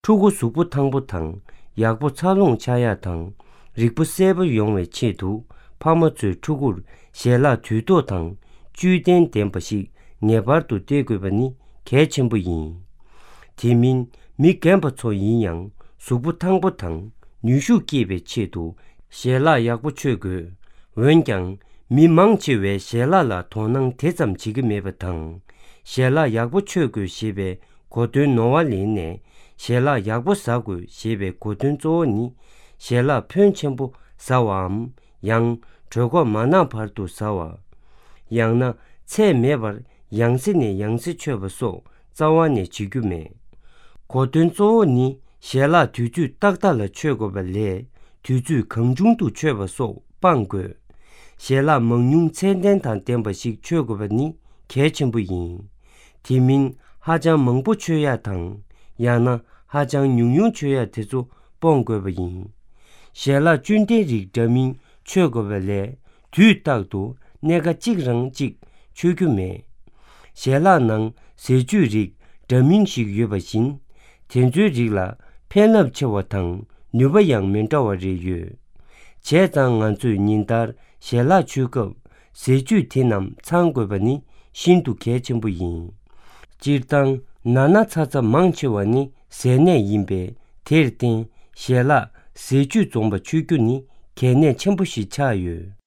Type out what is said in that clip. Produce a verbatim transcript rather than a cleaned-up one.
ཕྲུ་གུ་གཟུགས་པོ་ཐང་པོ་དང་ཡག་པོ་འཚར་ལོངས་ཆགས་ཡག་དང་། རིག་པ་གསལ་པོ་ཡོང་བའི་ཆེད་དུ་ཕ་མ་ཚོས་ཕྲུ་གུར་ཞལ་ལག་དུས་ཐོག་དང་བཅུད་ལྡན་ལྡན་པ་ཞིག་ངེས་པར་དུ་སྟེར་དགོས་པ་ནི་གལ་ཆེན་པོ་ཡིན། དེ་མིན་མི་རྒན་པ་ཚོ་ཡིན་ཡང་གཟུགས་པོ་ཐང་པོ་དང་ནུས་ཤུགས་སྐྱེད་པའི་ཆེད་དུ་ཞལ་ལག་ཡག་པོ་མཆོད་དགོས། འོན་ཀྱང་མི་མང་ཆེ་བས་ཞལ་ལག་ལ་དོ་སྣང་དེ་ཙམ་བྱེད་ཀྱི་མེད་པ་དང་། ཞལ་ལག་ཡག་པོ་མཆོད་དགོས་ཞེས་པའི་གོ་དོན་ནོར་བ་ལེན་ནས། ཞལ་ལག་ཡག་པོ་ཟ་དགོས་ཞེས་པའི་གོ་དོན་གཙོ་བོ་ནི། ཞལ་ལག་ཕོན་ཆེན་པོ་ཟ་བའམ། ཡང་། གྲོད་ཁོག་མ་ན་བར་དུ་ཟ་བ། ཡང་ན། ཚད་མེད་པར་ཡང་སེ་ནས་ཡང་སེ་མཆོད་པ་སོགས་རྩ་བ་ནས་བྱེད་རྒྱུ་མེད། གོ་དོན་གཙོ་བོ་ནི། ཞལ་ལག་དུས་ཚོད་ཏག་ཏག་ལ་མཆོད་དགོས་པ་ལས། དུས་ཚོད་གང་བྱུང་དུ་མཆོད་པ་སོགས་སྤང་དགོས། ཞལ་ལག་མང་ཉུང་ཚད་ལྡན་དང་ལྡན་པ་ཞིག་མཆོད་དགོས་པ་ནི་གལ་ཆེན་པོ་ཡིན། དེ་མིན་ཧ་ཅང་མང་པོ་མཆོད་ཡག་དང་། ཡང་ན་ཧ་ཅང་ཉུང་ཉུང་མཆོད་ཡག་དེ་ཚོ་སྤོང་དགོས་པ་ཡིན། ཞལ་ལག་བཅུད་ལྡན་རིགས་འདྲ་མིན་མཆོད་དགོས་པ་ལས། དུས་རྟག་ཏུ་སྣེ་ཁ་གཅིག་རང་གཅིག་མཆོད་རྒྱུ་མེད། ཞལ་ལག་ནང་ཟས་བཅུད་རིགས་འདྲ་མིན་ཞིག་ཡོད་པ་བཞིན། དེ་ཚོའི་རིགས་ལ་ཕན་རླབས་ཆེ་བ་དང་ནུས་པ་ཡང་མི་འདྲ་བ་རེ་ཡོད། བྱས་ཙང་ང་ཚོས་ཉིན་ལྟར་ཞལ་ལག་མཆོད་སྐབས་ཟས་བཅུད་དེ་རྣམས་ཚང་དགོས་པ་ནི་ཤིན་ཏུ་གལ་ཆེན་པོ་ཡིན། སྤྱིར་བཏང་ན་ན་ཚ་ཚ་མང་ཆེ་བ་ནི་ཟས་ནད་ཡིན་པས། དེར་བརྟེན་ཞལ་ལག་ཟས་བཅུད་འཛོམས་པ་མཆོད་རྒྱུ་ནི་གལ་གནད་ཆེན་པོ་ཞིག་ཆགས་ཡོད།